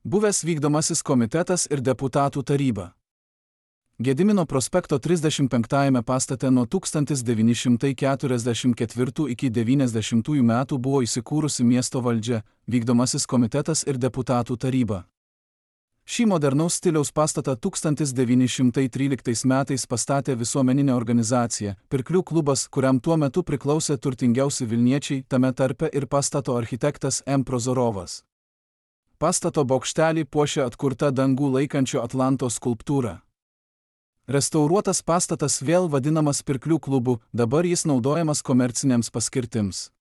Buvęs vykdomasis komitetas ir deputatų taryba. Gedimino prospekto 35 pastate nuo 1944 iki 90 metų buvo įsikūrusi miesto valdžia, vykdomasis komitetas ir deputatų taryba. Šį modernaus stiliaus pastatą 1913 metais pastatė visuomeninė organizacija, Pirklių klubas, kuriam tuo metu priklausė turtingiausi Vilniečiai, tame tarpe ir pastato architektas M. Prozorovas. Pastato bokštelį puošia atkurta dangų laikančio Atlanto skulptūra. Restauruotas pastatas vėl vadinamas Pirklių klubu, dabar jis naudojamas komercinėms paskirtims.